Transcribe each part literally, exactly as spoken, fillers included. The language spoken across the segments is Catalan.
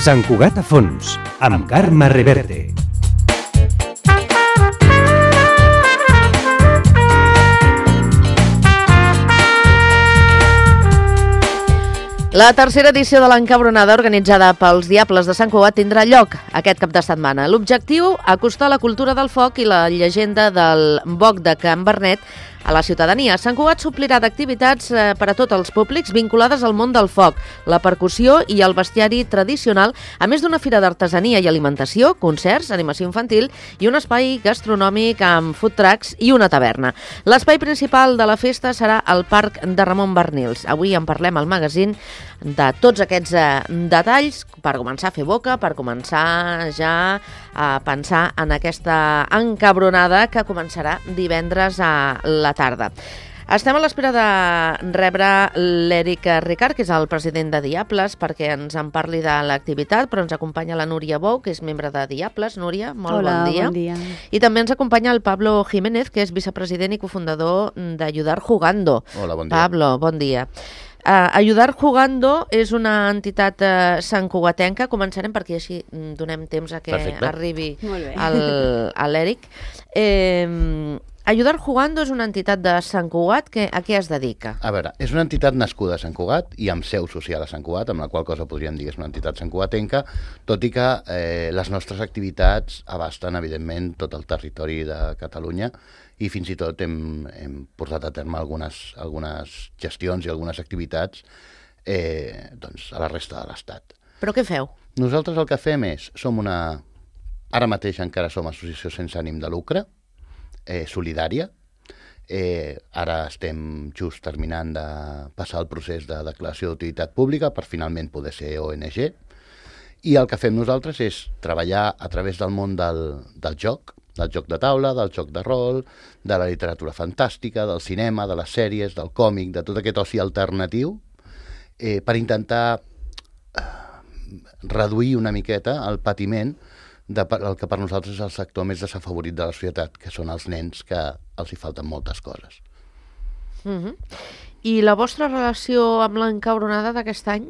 Sant Cugat a fons, amb Carme Reverte. La tercera edició de l'Encabronada, organitzada pels Diables de Sant Cugat, tindrà lloc aquest cap de setmana. L'objectiu, acostar la cultura del foc i la llegenda del boc de Can Vernet a la ciutadania. Sant Cugat s'omplirà d'activitats eh, per a tots els públics vinculades al món del foc, la percussió i el bestiari tradicional, a més d'una fira d'artesania i alimentació, concerts, animació infantil i un espai gastronòmic amb food trucks i una taverna. L'espai principal de la festa serà el Parc de Ramon Barnils. Avui en parlem al magazín de tots aquests eh, detalls per començar a fer boca, per començar ja a pensar en aquesta encabronada que començarà divendres a la tarda. Estem a l'espera de rebre l'Eric Ricard, que és el president de Diables, perquè ens en parli de l'activitat, però ens acompanya la Núria Bou, que és membre de Diables. Núria, molt Hola, bon dia. bon dia. I també ens acompanya el Pablo Jiménez, que és vicepresident i cofundador d'Ayudar Jugando. Hola, bon dia. Pablo, bon dia. Uh, Ayudar Jugando és una entitat uh, santcugatenca. Començarem perquè així donem temps a que Perfecte. arribi Molt bé. el, a l'Eric. Eh, Ayudar Jugando és una entitat de Sant Cugat que a què es dedica? A veure, és una entitat nascuda a Sant Cugat i amb seu social a Sant Cugat, amb la qual cosa podríem dir que és una entitat santcugatenca, tot i que eh, les nostres activitats abasten, evidentment, tot el territori de Catalunya i fins i tot hem, hem portat a terme algunes, algunes gestions i algunes activitats eh, doncs, a la resta de l'Estat. Però què feu? Nosaltres el que fem és, som una... Ara mateix encara som associació sense ànim de lucre, eh, solidària. Eh, ara estem just terminant de passar el procés de declaració d'utilitat pública per finalment poder ser O N G. I el que fem nosaltres és treballar a través del món del, del joc, del joc de taula, del joc de rol, de la literatura fantàstica, del cinema, de les sèries, del còmic, de tot aquest oci alternatiu, eh, per intentar eh, reduir una miqueta el patiment de, el que per nosaltres és el sector més desafavorit de la societat, que són els nens, que els hi falten moltes coses. Uh-huh. I la vostra relació amb l'encabronada d'aquest any?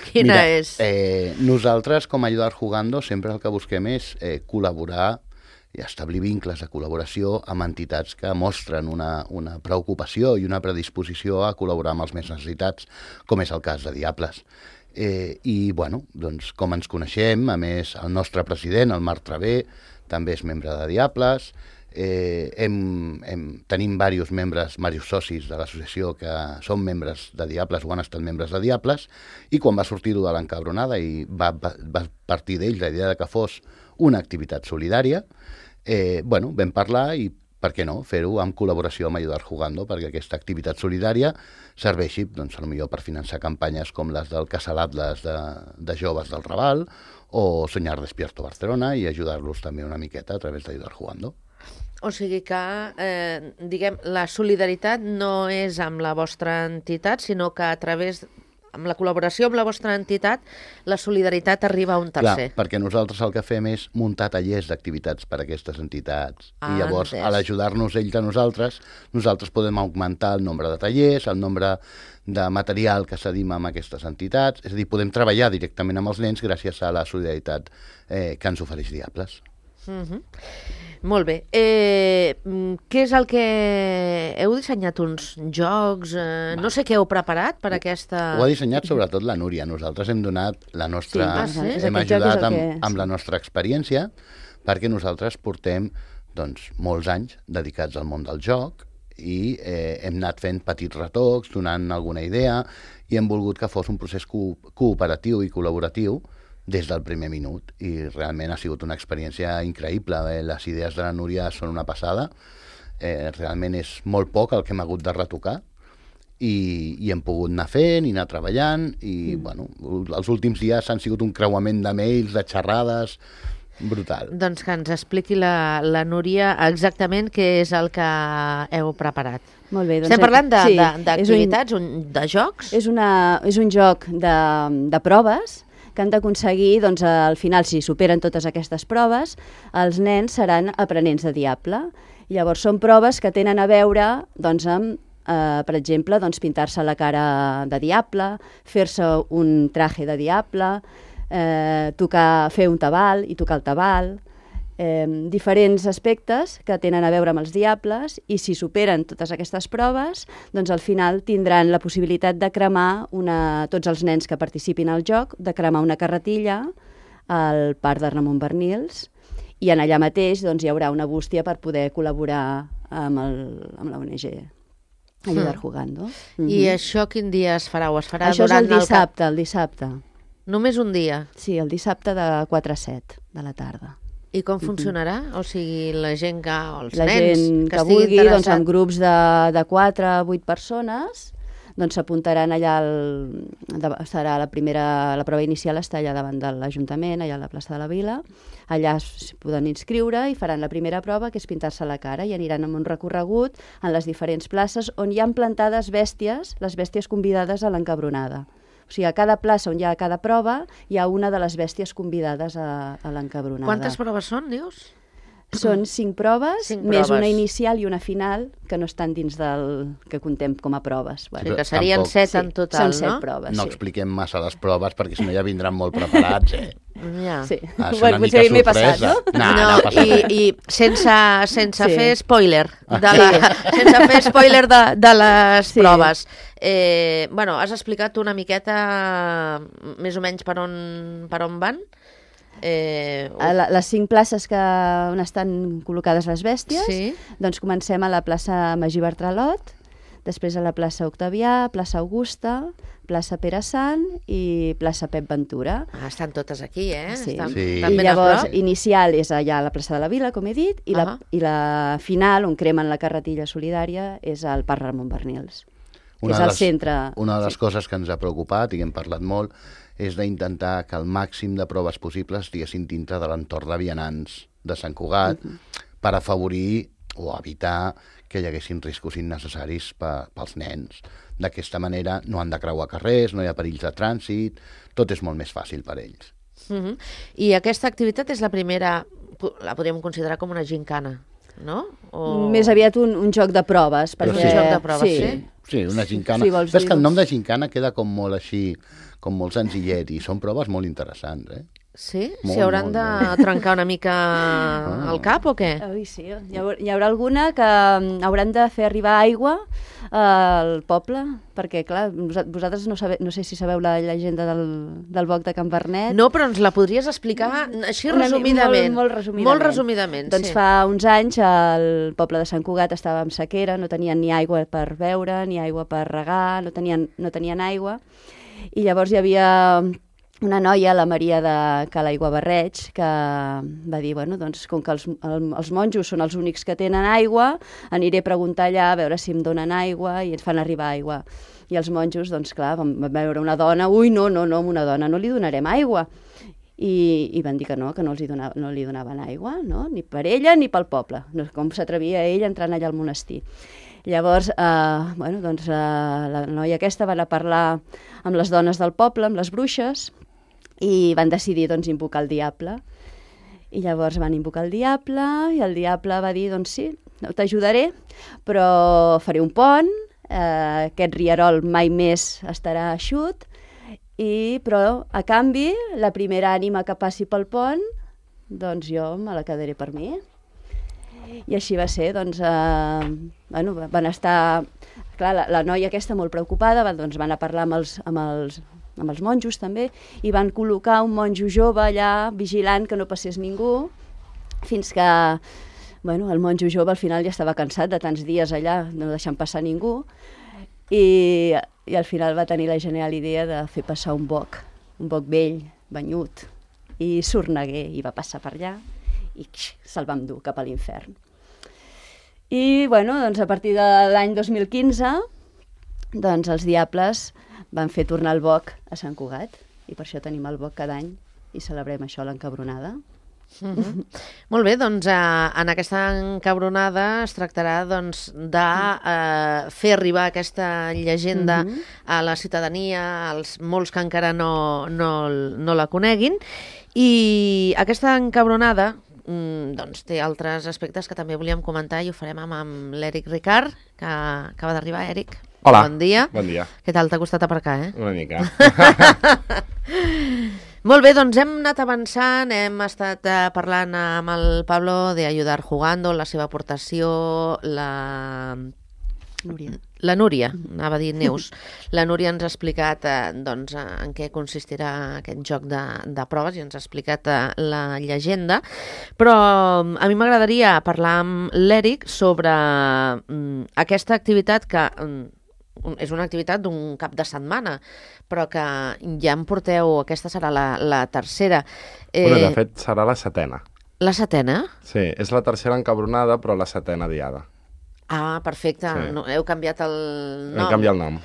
Quina Mira, és? Eh, nosaltres, com a Ayudar Jugando, sempre el que busquem és eh, col·laborar i establir vincles de col·laboració amb entitats que mostren una, una preocupació i una predisposició a col·laborar amb els més necessitats, com és el cas de Diables. Eh, I, bueno, doncs, com ens coneixem, a més, el nostre president, el Marc Travé, també és membre de Diables. Eh, hem, hem, tenim diversos membres, diversos socis de l'associació que són membres de Diables o han estat membres de Diables, i quan va sortir-ho de l'encabronada i va, va, va partir d'ells la idea de que fos una activitat solidària, eh, bueno, vam parlar i per què no, fer-ho en col·laboració amb Ayudar Jugando, perquè aquesta activitat solidària serveixi, doncs, potser per finançar campanyes com les del Casal Atlas de, de joves del Raval o Soñar Despierto Barcelona, i ajudar-los també una miqueta a través d'Ayudar Jugando. O sigui que, eh, diguem, la solidaritat no és amb la vostra entitat, sinó que a través, amb la col·laboració amb la vostra entitat, la solidaritat arriba a un tercer. Clar, perquè nosaltres el que fem és muntar tallers d'activitats per a aquestes entitats. Ah, I llavors, entès. a l'ajudar-nos ells a nosaltres, nosaltres podem augmentar el nombre de tallers, el nombre de material que cedim amb aquestes entitats, és a dir, podem treballar directament amb els nens gràcies a la solidaritat eh, que ens ofereix Diables. Uh-huh. Molt bé. Eh, què és el que... Heu dissenyat uns jocs? Eh, no sé què heu preparat per aquesta... Ho ha dissenyat sobretot la Núria. Nosaltres hem donat la nostra... Sí, ah, sí? Hem Aquest joc és ajudat el amb, que- amb sí. la nostra experiència, perquè nosaltres portem doncs, molts anys dedicats al món del joc i eh, hem anat fent petits retocs, donant alguna idea, i hem volgut que fos un procés co cooperatiu i col·laboratiu des del primer minut, i realment ha sigut una experiència increïble. Eh? Les idees de la Núria són una passada, eh, realment és molt poc el que hem hagut de retocar, i, i hem pogut anar fent i anar treballant, i mm. bueno, els últims dies han sigut un creuament de mails, de xerrades, brutal. Doncs que ens expliqui la, la Núria exactament què és el que heu preparat. Molt bé, doncs, Estem parlant de- sí, de- és d'activitats, un, de jocs? És, una, és un joc de, de proves que han d'aconseguir, doncs, al final, si superen totes aquestes proves, els nens seran aprenents de Diable. Llavors, són proves que tenen a veure, doncs, amb eh, per exemple, doncs, pintar-se la cara de diable, fer-se un traje de diable, eh, tocar, fer un tabal i tocar el tabal, eh, diferents aspectes que tenen a veure amb els diables, i si superen totes aquestes proves, doncs al final tindran la possibilitat de cremar una, tots els nens que participin al joc, de cremar una carretilla al Parc de Ramon Bernils, i en allà mateix doncs, hi haurà una bústia per poder col·laborar amb, el, amb la O N G Ayudar Jugando. Mm. I això quin dia es farà? O es farà Això és durant el dissabte, el, el dissabte. Només un dia? Sí, el dissabte de quatre a set de la tarda. I com funcionarà? Mm-hmm. O sigui, la gent que, o els la nens gent que, que vulgui, doncs, en grups de, de quatre a vuit persones, doncs s'apuntaran allà, el, de, serà la primera, la prova inicial està allà davant de l'Ajuntament, allà a la plaça de la Vila, allà es poden inscriure i faran la primera prova, que és pintar-se la cara, i aniran amb un recorregut en les diferents places on hi han plantades bèsties, les bèsties convidades a l'encabronada. O sigui, a cada plaça on hi ha cada prova, hi ha una de les bèsties convidades a, a l'encabronada. Quantes proves són, dius? Són cinc proves, cinc més proves. Una inicial i una final, que no estan dins del que contem com a proves. Bueno, sí, que serien tampoc, set sí, en total, són set no? proves, No sí. expliquem massa les proves, perquè si no ja vindran molt preparats, eh? Ja. Sí. Ah, és Bueno, una potser mica m'he passat, sorpresa. no? No, no, no passa i, res. i sense, sense Sí. fer spoiler de la, sense fer spoiler de, de les Sí. proves. Eh, bueno, has explicat una miqueta més o menys per on, per on van? Eh, A la, les cinc places que, on estan col·locades les bèsties, Sí. doncs comencem a la plaça Magí Bartralot, després a la plaça Octavià, plaça Augusta, plaça Pere Sant i plaça Pep Ventura. ah, estan totes aquí, eh? Sí. Estan, Sí. estan I ben a llavors, prop. inicial és allà a la plaça de la Vila, com he dit, i, Uh-huh. la, i la final, on cremen la carretilla solidària, és al Parc Ramon Bernils. Una és de al les- centre. Una de les sí. coses que ens ha preocupat i que hem parlat molt és d'intentar que el màxim de proves possibles estiguessin dintre de l'entorn de vianants de Sant Cugat uh -huh. per afavorir o evitar que hi haguessin riscos innecessaris pe, pels nens. D'aquesta manera no han de creuar carrers, no hi ha perills de trànsit, tot és molt més fàcil per ells. Uh-huh. I aquesta activitat és la primera, la podríem considerar com una gincana, no? O... Més aviat un, un joc de proves. Però Perquè, sí. Un joc de proves, sí. sí. Sí, una gincana. Si vols Però és dir, que el nom doncs. de gincana queda com molt així, com molt senzillet, i són proves molt interessants, eh? Sí? Molt, S'hi hauran molt, de molt. trencar una mica Ah. el cap o què? Ui, sí. Hi haurà, hi haurà alguna que mm, hauran de fer arribar aigua al poble, perquè, clar, vos- vosaltres no, sabe, no sé si sabeu la llegenda del, del boc de Can Vernet. No, però ens la podries explicar així Una mi- resumidament. Molt, molt resumidament. Molt resumidament, Doncs sí. fa uns anys el poble de Sant Cugat estava en sequera, no tenien ni aigua per beure, ni aigua per regar, no tenien, no tenien aigua. I llavors hi havia una noia, la Maria de Cala Aiguabarreig, que va dir, bueno, doncs, com que els, el, els monjos són els únics que tenen aigua, aniré a preguntar allà a veure si em donen aigua i ens fan arribar aigua. I els monjos, doncs clar, van veure una dona, ui, no, no, no, a una dona no li donarem aigua. I, i van dir que no, que no, els hi donava, no li donaven aigua, no? Ni per ella ni pel poble. No, com s'atrevia ell entrant allà al monestir. Llavors, eh, bueno, doncs, eh, la noia aquesta va anar a parlar amb les dones del poble, amb les bruixes, i van decidir doncs, invocar el diable. I llavors van invocar el diable, i el diable va dir, doncs sí, t'ajudaré, però faré un pont, eh, aquest rierol mai més estarà eixut, i, però a canvi, la primera ànima que passi pel pont, doncs jo me la quedaré per mi. I així va ser, doncs, eh, bueno, van estar, clar, la, la noia aquesta molt preocupada, van, doncs van a parlar amb els, amb, els, amb els monjos també, i van col·locar un monjo jove allà vigilant que no passés ningú, fins que, bueno, el monjo jove al final ja estava cansat de tants dies allà, no deixant passar ningú, i, i al final va tenir la genial idea de fer passar un boc, un boc vell, banyut, i sorneguer, i va passar per allà, i se'l vam dur cap a l'infern. I, bueno, doncs a partir de l'any dos mil quinze, doncs els diables van fer tornar el boc a Sant Cugat, i per això tenim el boc cada any, i celebrem això a l'encabronada. Uh-huh. Molt bé, doncs eh, en aquesta encabronada es tractarà doncs, de eh, fer arribar aquesta llegenda Mhm. a la ciutadania, als molts que encara no, no, no la coneguin, i aquesta encabronada, mm, doncs té altres aspectes que també volíem comentar i ho farem amb, amb l'Eric Ricard, que acaba d'arribar. Eric, hola. Bon dia. Bon dia. Què tal? T'ha costat aparcar, eh? Una mica. Molt bé, doncs hem anat avançant, hem estat eh, parlant amb el Pablo de Ayudar Jugando, la seva aportació, la... Núria. La Núria, anava a dir Neus. La Núria ens ha explicat eh, doncs, en què consistirà aquest joc de, de proves i ens ha explicat eh, la llegenda, però a mi m'agradaria parlar amb l'Eric sobre mm, aquesta activitat que mm, és una activitat d'un cap de setmana, però que ja em porteu, aquesta serà la, la tercera. Eh... Bueno, de fet, serà la setena. La setena? Sí, és la tercera encabronada, però la setena diada. Ah, perfecte. Sí. No, heu canviat el nom. Hem canviat el nom.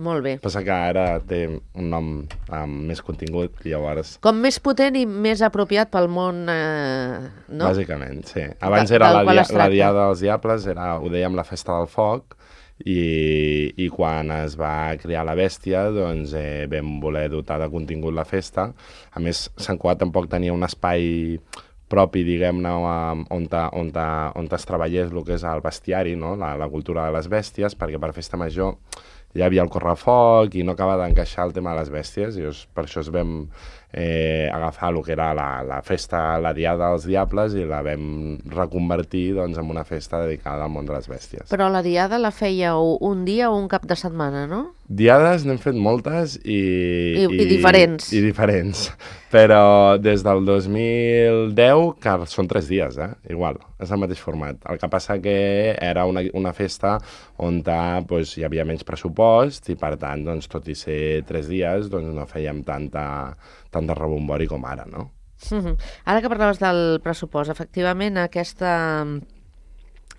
Molt bé. Passa que ara té un nom amb més contingut, i llavors... Com més potent i més apropiat pel món, eh, no? Bàsicament, sí. Abans era la, dia, la Diada dels Diables, era, ho dèiem, la Festa del Foc, i, i quan es va crear la bèstia, doncs eh, vam voler dotar de contingut la festa. A més, Sant Cugat tampoc tenia un espai propi, diguem-ne, on, on, on es treballés el que és el bestiari, no? la, la cultura de les bèsties, perquè per festa major ja hi havia el correfoc i no acaba d'encaixar el tema de les bèsties, i per això es vam eh, agafar el que era la, la festa, la Diada dels Diables, i la vam reconvertir doncs, en una festa dedicada al món de les bèsties. Però la Diada la fèieu un dia o un cap de setmana, no? Diades n'hem fet moltes i... I, i, i diferents. I diferents. Però des del dos mil deu, que són tres dies, eh? Igual, és el mateix format. El que passa que era una, una festa on doncs, hi havia menys pressupost i, per tant, doncs, tot i ser tres dies, doncs, no fèiem tanta, tant de rebombori com ara, no? Mm-hmm. Ara que parlaves del pressupost, efectivament, aquesta...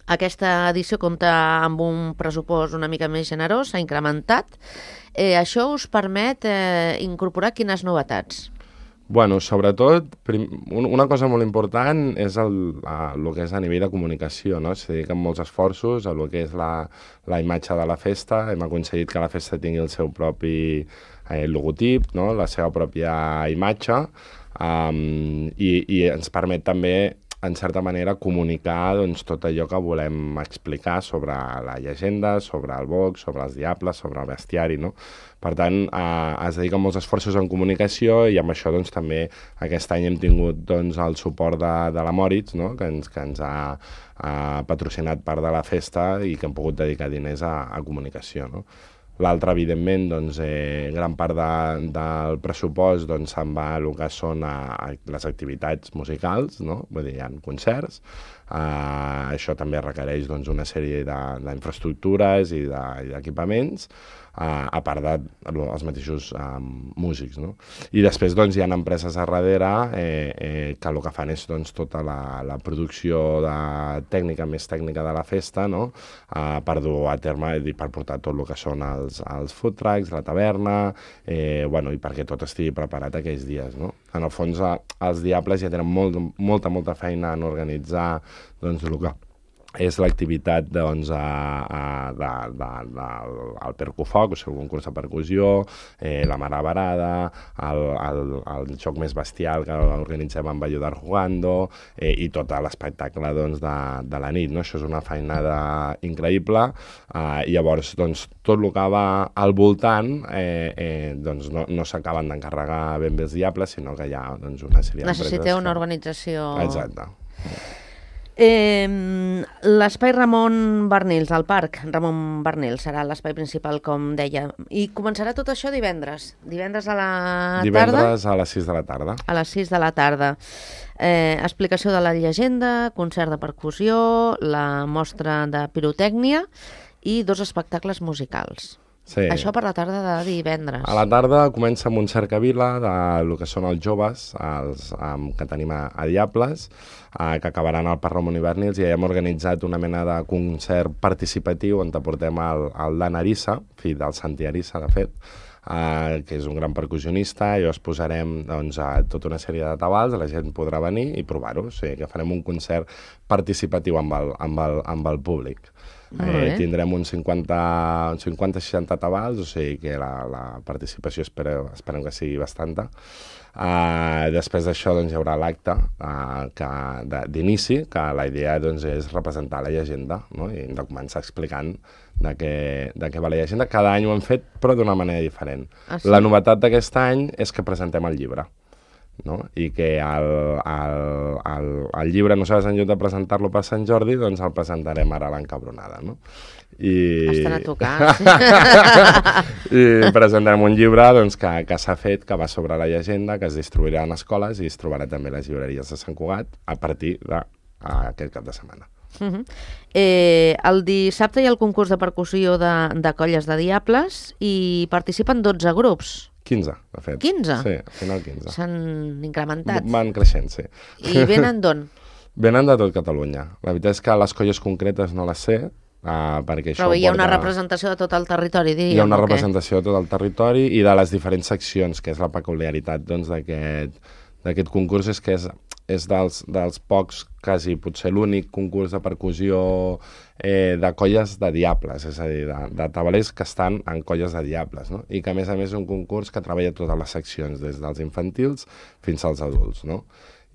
Aquesta edició compta amb un pressupost una mica més generós, s'ha incrementat. Eh, això us permet eh, incorporar quines novetats? Bueno, sobretot, prim, una cosa molt important és el, el que és a nivell de comunicació, no? S'hi dediquen molts esforços a el que és la, la imatge de la festa. Hem aconseguit que la festa tingui el seu propi eh, logotip, no? La seva pròpia imatge, um, i, i ens permet també, en certa manera, comunicar doncs, tot allò que volem explicar sobre la llegenda, sobre el boc, sobre els diables, sobre el bestiari, no? Per tant, eh, es dediquen molts esforços en comunicació, i amb això doncs, també aquest any hem tingut doncs, el suport de, de la Moritz, no? que, ens, que ens ha eh, patrocinat part de la festa i que hem pogut dedicar diners a, a comunicació, no? L'altre, evidentment, doncs, eh, gran part de, del pressupost doncs, se'n va a el que són a, a les activitats musicals, no? Vull dir, hi ha concerts. Eh, això també requereix doncs, una sèrie d'infraestructures i d'equipaments, Uh, a part dels de, mateixos um, músics, no? I després doncs, hi ha empreses a darrere eh, eh, que el que fan és doncs, tota la, la producció de tècnica, més tècnica de la festa, no? Uh, per dur a terme i per portar tot el que són els, els food trucks, la taverna, eh, bueno, i perquè tot estigui preparat aquells dies, no? En el fons, a, els Diables ja tenen molt, molta, molta feina en organitzar doncs, el que és l'activitat doncs, a, a, de, de, de, el percufoc, o sigui, un concurs de percussió, eh, la maravarada, el, el, el joc més bestial que organitzem amb Ayudar Jugando, eh, i tot l'espectacle doncs, de, de la nit, no? Això és una feinada increïble, eh, i llavors doncs, tot el que va al voltant eh, eh, doncs, no, no s'acaben d'encarregar ben bé els Diables, sinó que hi ha doncs, una sèrie d'empreses. Necessiteu una organització... Exacte. Eh, l'espai Ramon Barnils, al parc Ramon Barnils, serà l'espai principal, com deia. I començarà tot això divendres. Divendres a la tarda? Divendres a les sis de la tarda. A les sis de la tarda. Eh, explicació de la llegenda, concert de percussió, la mostra de pirotècnia i dos espectacles musicals. Sí. Això per la tarda de divendres. A la tarda comença amb un cercavila del que són els joves els, um, que tenim a, a Diables, uh, que acabaran al Parc Ramon i Barnils, i ja hem organitzat una mena de concert participatiu on portem el, el Dan Arissa, fill del Santi Arissa, de fet, Uh, que és un gran percussionista, i llavors posarem doncs, a tota una sèrie de tabals, la gent podrà venir i provar-ho, o sigui que farem un concert participatiu amb el, amb el, amb el públic. Eh, tindrem uns cinquanta seixanta tabals, o sigui que la, la participació espero, esperem que sigui bastanta. Uh, després d'això doncs, hi haurà l'acte uh, d'inici, que la idea doncs, és representar la llegenda, no? I hem de començar explicant de què, de què va la llegenda. Cada any ho hem fet, però d'una manera diferent. Ah, sí? La novetat d'aquest any és que presentem el llibre. No? I que el, el, el, el llibre, nosaltres en lloc de presentar-lo per Sant Jordi, doncs el presentarem ara a l'Encabronada, no? I... Estan a tocar. I presentarem un llibre doncs, que, que s'ha fet, que va sobre la llegenda, que es distribuirà en escoles i es trobarà també a les llibreries de Sant Cugat a partir d'aquest cap de setmana. Uh -huh. eh, el dissabte hi ha el concurs de percussió de, de colles de diables i participen dotze grups. quinze, de fet. quinze? Sí, al final quinze. S'han incrementat. Van creixent, sí. I venen d'on? Venen de tot Catalunya. La veritat és que les colles concretes no les sé, uh, perquè Però això hi ha porta... una representació de tot el territori, diríem. Hi ha una o què? representació de tot el territori i de les diferents seccions, que és la peculiaritat doncs, d'aquest concurs, és que és, és dels, dels pocs, quasi potser l'únic concurs de percussió eh, de colles de diables, és a dir, de, de tabalers que estan en colles de diables, no? I que a més a més és un concurs que treballa totes les seccions, des dels infantils fins als adults, no?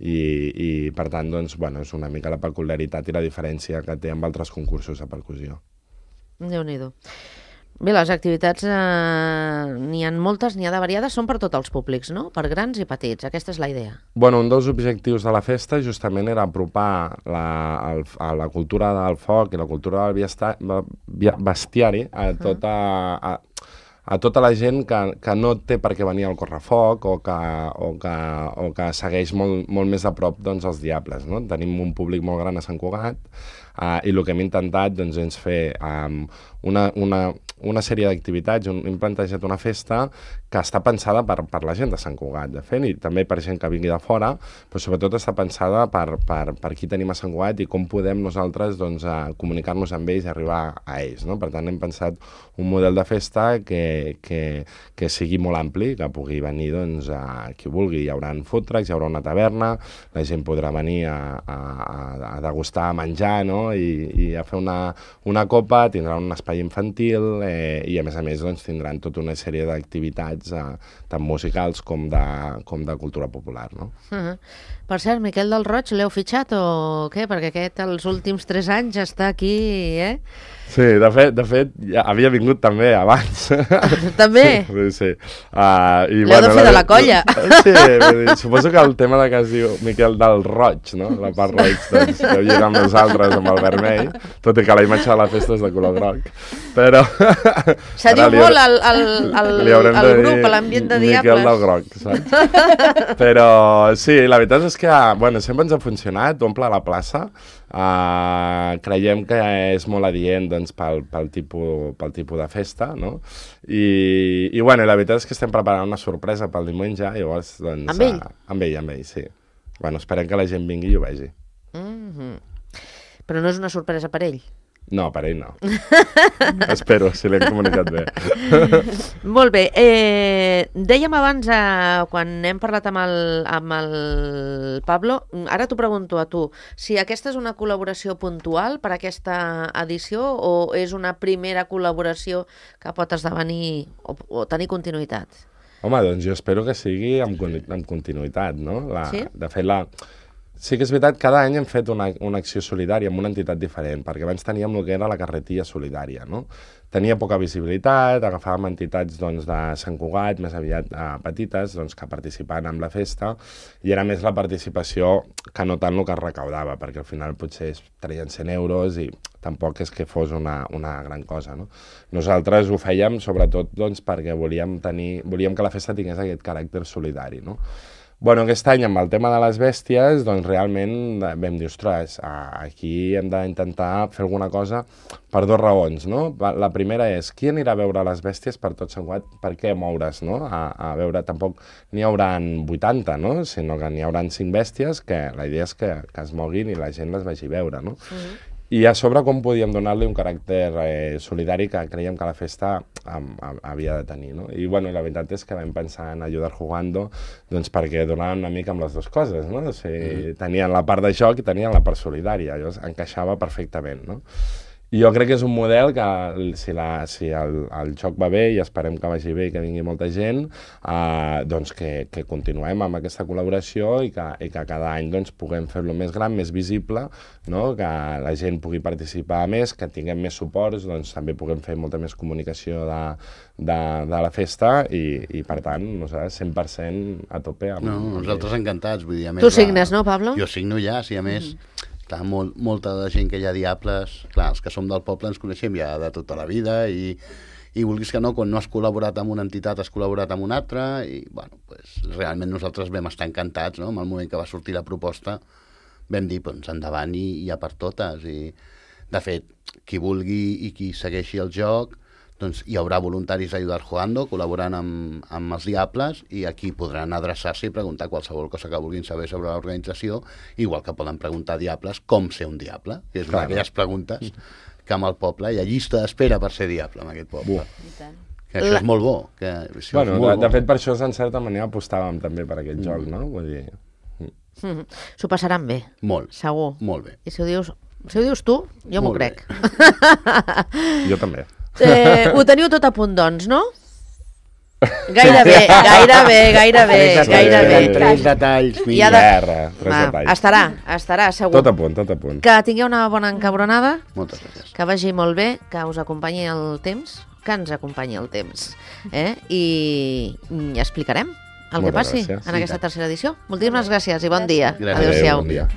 I, i per tant, doncs, bueno, és una mica la peculiaritat i la diferència que té amb altres concursos de percussió. Déu-n'hi-do. Bé, les activitats eh, n'hi ha moltes, n'hi ha de variades, són per tots els públics, no? Per grans i petits, aquesta és la idea. Bueno, un dels objectius de la festa justament era apropar la, el, a la cultura del foc i la cultura del biesta, bestiari a tota, a, a tota la gent que, que no té per què venir al correfoc o que, o que, o que segueix molt, molt més a prop doncs, els diables, no? Tenim un públic molt gran a Sant Cugat uh, i el que hem intentat doncs, és fer um, una, una, una sèrie d'activitats, hem plantejat una festa que està pensada per, per la gent de Sant Cugat, de fet, i també per gent que vingui de fora, però sobretot està pensada per, per, per qui tenim a Sant Cugat i com podem nosaltres doncs, comunicar-nos amb ells i arribar a ells, no? Per tant, hem pensat un model de festa que, que, que sigui molt ampli, que pugui venir doncs, a qui vulgui. Hi haurà food trucks, hi haurà una taverna, la gent podrà venir a, a, a degustar, a menjar, no? I, i a fer una, una copa, tindrà un espai infantil eh, i a més a més doncs, tindran tota una sèrie d'activitats eh, tant musicals com de, com de cultura popular, no? Uh-huh. Per cert, Miquel del Roig, l'heu fitxat o què? Perquè aquest els últims tres anys està aquí, eh? Sí, de fet, de fet ja havia vingut també abans. També? Sí, sí. Uh, L'heu bueno, de fer la, de la colla. Sí, vull dir, suposo que el tema de que es diu Miquel del Roig, no? La part roig, doncs, deu lligar amb nosaltres, amb el vermell, tot i que la imatge de la festa és de color groc. Però... Se diu molt al, al, al, al grup, a l'ambient de diables. Miquel del Groc, saps? Però sí, la veritat és que, bueno, sempre ens ha funcionat, omple la plaça. Uh, creiem que és molt adient doncs, pel, pel, tipus, pel tipus de festa, no? I, i bueno, la veritat és que estem preparant una sorpresa pel diumenge, llavors, doncs... Amb ell? Uh, amb ell, amb ell, sí. Bueno, esperem que la gent vingui i ho vegi. Mm-hmm. Però no és una sorpresa per ell? No, per ell no. Espero, si l'hem comunicat bé. Molt bé. Eh, dèiem abans, eh, quan hem parlat amb el, amb el Pablo, ara t'ho pregunto a tu, si aquesta és una col·laboració puntual per aquesta edició o és una primera col·laboració que pot esdevenir o, o tenir continuïtat? Home, doncs jo espero que sigui amb, amb continuïtat, no? La, sí? De fet, la... Sí que és veritat, cada any hem fet una, una acció solidària amb una entitat diferent, perquè abans teníem el que era la carretilla solidària, no? Tenia poca visibilitat, agafàvem entitats doncs, de Sant Cugat, més aviat eh, petites, doncs, que participaven en la festa, i era més la participació que no tant el que es recaudava, perquè al final potser es traien cent euros i tampoc és que fos una, una gran cosa, no? Nosaltres ho fèiem sobretot doncs, perquè volíem, tenir, volíem que la festa tingués aquest caràcter solidari, no? Bueno, aquest any, amb el tema de les bèsties, doncs realment vam dir, ostres, aquí hem d'intentar fer alguna cosa per dues raons, no? La primera és, qui anirà a veure les bèsties per tot Sant Cugat? Per què moure's, no? A, a veure, tampoc n'hi hauran vuitanta, no? Sinó que n'hi hauran cinc bèsties, que la idea és que, que es moguin i la gent les vagi a veure, no? Uh-huh. I a sobre com podíem donar-li un caràcter eh, solidari que creiem que la festa um, havia de tenir, no? I bueno, la veritat és que vam pensar en Ayudar Jugando doncs perquè donaven una mica amb les dues coses, no? O sigui, mm-hmm. tenien la part de joc i tenien la part solidària, llavors encaixava perfectament, no? Jo crec que és un model que, si, la, si el, el joc va bé, i esperem que vagi bé i que vingui molta gent, eh, doncs que, que continuem amb aquesta col·laboració i que, i que cada any doncs, puguem fer-lo més gran, més visible, no? Que la gent pugui participar més, que tinguem més suports, doncs també puguem fer molta més comunicació de, de, de la festa i, i per tant, nosaltres cent per cent a tope. Amb, No, nosaltres encantats. Vull dir, a més, Tu signes, no, Pablo? Jo signo ja, sí, a més... Mm. Clar, molt, molta de la gent que hi ha Diables, clar, els que som del poble ens coneixem ja de tota la vida i, i vulguis que no, quan no has col·laborat amb una entitat has col·laborat amb una altra i, bueno, pues, realment nosaltres vam estar encantats, no?, en el moment que va sortir la proposta vam dir, doncs, endavant i, i a per totes i, de fet, qui vulgui i qui segueixi el joc, doncs hi haurà voluntaris d'Ayudar Jugando col·laborant amb, amb els Diables i aquí podran adreçar-se i preguntar qualsevol cosa que vulguin saber sobre l'organització, igual que poden preguntar a Diables com ser un Diable, que és una d'aquelles preguntes que amb el poble hi ha llista d'espera per ser Diable en aquest poble. Que això és molt bo. Que això Bueno, és molt de, bo. de fet, per això, en certa manera, apostàvem també per aquest mm. joc, no? Vull dir... Mm. S'ho passaran bé, Molt, segur. molt bé. I si ho dius, si ho dius tu, jo m'ho Molt crec. Jo també. Eh, ho teniu tot a punt, doncs, no? Gairebé, gairebé, gairebé, Tres gairebé. detalls, tres detalls. I ha mira. de- Res, tres Va, detalls. estarà, estarà, segur. Tot a punt, tot a punt. Que tingueu una bona encabronada, Moltes gràcies. que vagi molt bé, que us acompanyi el temps, que ens acompanyi el temps, eh? I, i explicarem el que Moltes passi gràcies. en aquesta tercera edició. Moltíssimes gràcies i bon dia. Gràcies. Adéu-siau. Bon dia.